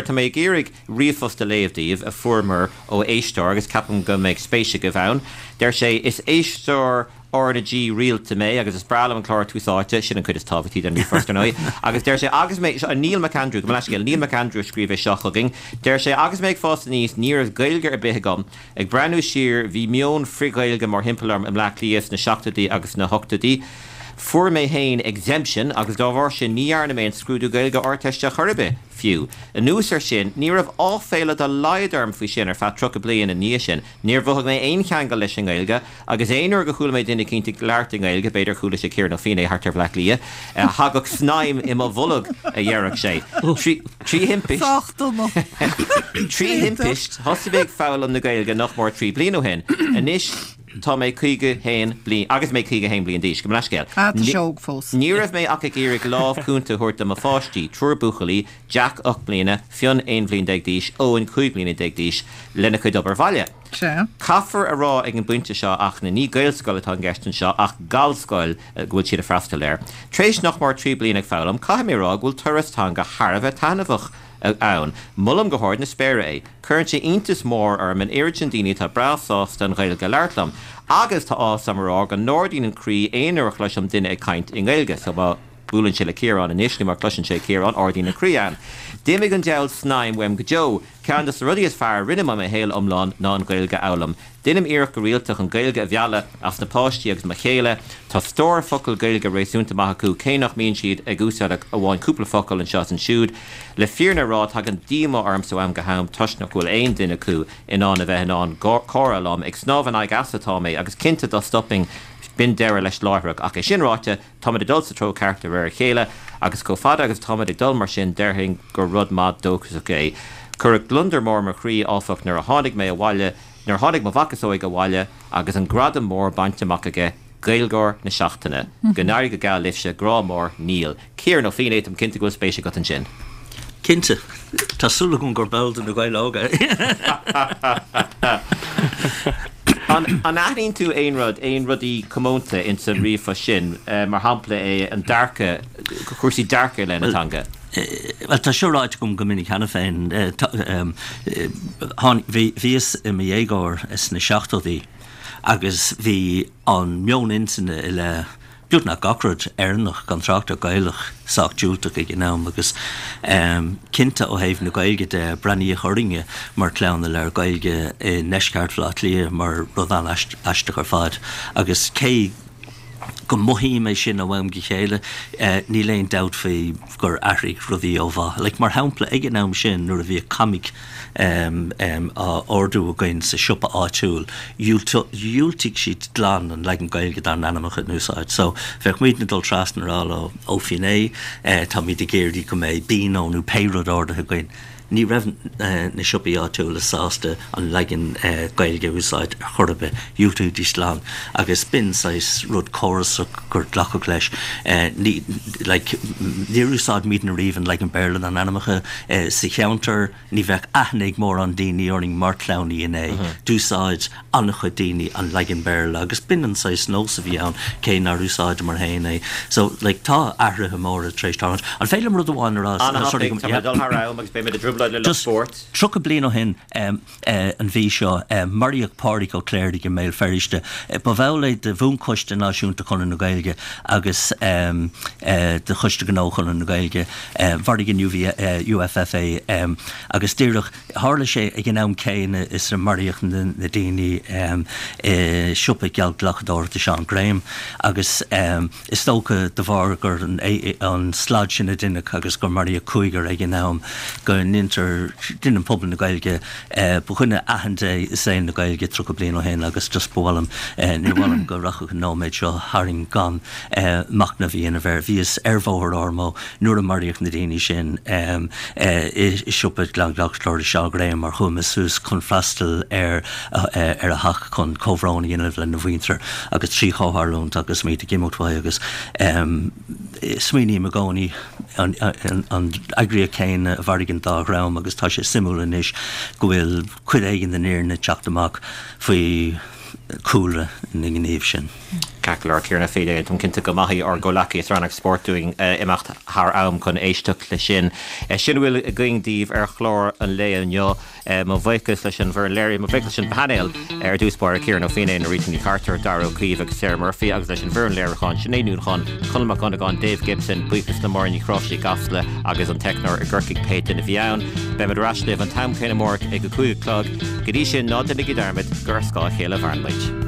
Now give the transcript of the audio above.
tá mé ag iarraidh ríomhphost a léamh daoibh a fuaireamar ó éisteoir agus ceapaim go mbeidh spéis agaibh ann. Deir sé, Is éisteoir R na G rialta mé agus is breá liom an clár Tús Áite, sin an cuid is tábhachtaí den ríomhphost ar ndóigh, agus deir sé, agus mé, seo Neil McAndrew, gabh mo leithscéal, Neil McAndrew a scríobh é seo chugainn, deir sé, agus mé ag fás aníos ní raibh Gaeilge ar bith agam, ag breathnú siar bhí meon frith-Ghaeilge mórthimpeall orm i mBleá Cliath sna seachtóidí agus sna hochtóidí. Fuair mé féin exemption agus dá bharr sin ní dhearna mé an scrúdú Gaeilge Ardteiste chor ar bith, fiú. Anuas air sin, ní raibh áiféala dá laghad orm faoi sin ar feadh 30 bliain ina dhiaidh sin. Níor mhothaigh mé aon cheangal leis an nGaeilge agus aon uair go chuala mé duine eicínt ag labhairt i nGaeilge, b'fhéidir chuala sé Ciarán Ó Feinneadha thart ar Bhleá Cliath, thagadh snaidhm i mo bholg, a deireadh sé. Trí thimpist. Sách dona. Trí thimpist, thosaigh mé ag foghlaim na Gaeilge nach mór trí bliana ó shin. Anois. Tá mé 51 bliain, agus mé 51 bliain d'aois, gabh mo leithscéal. Ah, tá sé óg fós. Ní raibh mé ach ag iarraidh lámh cúnta a thabhairt do mo pháistí, triúr buachaillí, Jack, 8 mbliana, Fionn, 11 bhliain d'aois, Eoin, 15 bliana d'aois, lena chuid obair bhaile. Sea. Caithfear a rá ag an bpointe seo ach na ní Gaelscoil atá i gceist anseo ach Gallscoil go bhfuil siad ag freastal air. Tar éis nach mór 3 bliana ag foghlaim, caithfidh mé a rá go bhfuil turas teanga thar a bheith taitneamhach ann. Molaim go hard na spéire é. Cuireann sé iontas mór orm an oiread sin daoine atá breá sásta an Ghaeilge a labhairt liom. Agus tá áthas orm a rá go n-ardaíonn an croí aon uair a chloisim duine ag caint i nGaeilge. So má buaileann sé le Ciarán anois nó má chloiseann sé Ciarán, ardaíonn an croí ann. D'imigh an diabhal snaidhm uaim go deo. Ceann de na rudaí is fearr a rinne mé i mo shaol iomlán ná an Ghaeilge a fhoghlaim. Deinim iarracht go rialta chun Gaeilge a mhealladh as na páistí agus mo chéile. Tá stór focal Gaeilge réasúnta maith acu, cé nach mbíonn siad ag úsáid ach amháin cúpla focal anseo is ansiúd. Le fírinne a rá, tagann díomá ormsa ó am go ham toisc nach bhfuil aon duine acu in ann a bheith in ann comhrá liom. Ag snámh in aghaidh easa atá mé, agus cinnte dá stopfainn b'in deireadh leis láithreach. Ach é sin ráite, Táimid ag dul sa treo ceart de réir a chéile, agus chomh fada agus atáimid ag dul mar sin, déarfainn gur rud maith dóchasach é. Cuireadh gliondar mór i mo chroí, áfach, nuair a tháinig mé abhaile, nuair a tháinig mo mhac is óige abhaile agus an gradam mór bainte amach aige, Gaeilgeoir na Seachtaine. Go n-éirí go geal libhse, grá mór, Neil. Ciarán Ó Feinneadha, táim cinnte go bhfuil spéis agat ansin. Cinnte. Tá súil agam gur ball de Na Gaeil Óga é. An aithníonn tú aon rud, aon rudaí comónta ins an ríomhphost sin, mar shampla é an dearcadh, cúrsaí dearcaidh i leith na teanga? Bhuel, tá seo ráite agam go minic cheana féin. Bhíos i mo dhéagóir sna seachtóidí agus bhí an meon intinne i leith beagnach gach rud Éireannach, gan trácht ar Gaelach, sách diúltach ag an am agus cinnte ó thaobh na Gaeilge de, breathnaíodh orainne mar chlann a labhair Gaeilge i ndeisceart Bhaile Átha Cliath mar rud an-aisteach ar fad agus cé go mothaím é sin ó am go chéile, níl aon dabht faoi gur athraigh rudaí ó mhaith. Like, mar shampla, ag an am sin nuair a bhíodh comic á ordú againn sa siopa áitiúil, dhiúltaigh siad glan an leagan Gaeilge dár n-ainmneacha a úsáid. So, bheadh muidne ag dul trasna ag rá leo, Ó Finné, táimid ag iarraidh go mbeidh Beano nó pé rud ordaithe againn. Ní raibh na siopaí áitiúla sásta an leagan Gaeilge a úsáid ar chor ar bith, dhiúltaídís glan agus b'in saghas rud córasach gur glacadh leis. Ní, like, níor úsáid muidne riamh an leagan Béarla dár n-ainmneacha sa cheantar, ní bheadh aithne ag mórán daoine orainn mar chlann Uí Fhinné. D'úsáid an-chuid daoine an leagan Béarla agus b'in an saghas nós a bhí ann, cé nár úsáideamar féin é. So, like, tá athruithe móra tar éis tarlúint. An féidir liom rud amháin a rá? An-thapaidh, tá mé ag dul thar am agus beidh mé i dtrioblóid le lucht spóirt. Just 30 bliain ó shin, an mhí seo, maraíodh Pádraig Ó Cléirigh i mBéal Feirste. Ba bhall é de Bhuanchoiste Náisiúnta Chonradh na Gaeilge agus de Choiste Gnó Chonradh na Gaeilge. Mharaigh an UFF é agus díreach Tharla sé ag an am céanna is a maraíodh na daoine i siopa geallghlacadóireachta Seán Graham agus is dócha de bharr gur an slad sin a deineadh agus gur maraíodh cúigear ag an am go ndeintear, deineann pobal na Gaeilge, ba dhuine aitheanta é i saol na Gaeilge 30 bliain ó shin agus just ba mhaith liom, níor mhaith liom go rachadh an nóiméad seo tharainn gan machnamh a dhéanamh air. Bhíos ar Bhóthar Ormeau nuair a maraíodh na daoine sin i siopa geallghlacadóireachta Seán Graham mar chuaigh mé suas chun freastal ar ar a theach chun comhbhrón a dhéanamh lena mhuintir agus trí chomhtharlúint agus muid ag imeacht uaidh agus smaoiním i gcónaí an eagraíocht chéanna a mharaigh an dá dhream agus tá sé suimiúil anois go bhfuil cuid éigin den fhírinne ag teacht amach faoi chúlra na ngníomh sin. Ceart go leor, Ciarán Ó Feinneadha, táim cinnte go maithfidh ár gcomhleacaí sa rannóg spóirt dúinn imeacht thar am chun éisteacht leis sin. Sin a bhfuil againn daoibh ar chlár an lae inniu. Mo bhuíochas leis an bhfoireann léirithe, mo bhuíochas leis an bpainéal ar dtús báire, Ciarán Ó Feinneadha, Norita Ní Chartúir, Darragh Ó Caoimh agus Sarah Murphy agus leis an bhfoireann léiriúcháin, Sinéad Ní Uallacháin, Conall Mac Dhonnagáin, Dave Gibson, buíochas le Máire Ní Chráimhsí i gCasla agus an teicneoir i gCorcaigh pé duine a bhí ann. Beimid ar ais libh an t-am céanna amárach ag a 5 a chlog. Go dtí sin, ná déanaigí dearmad gur ar scáth a chéile a mhaireann muid.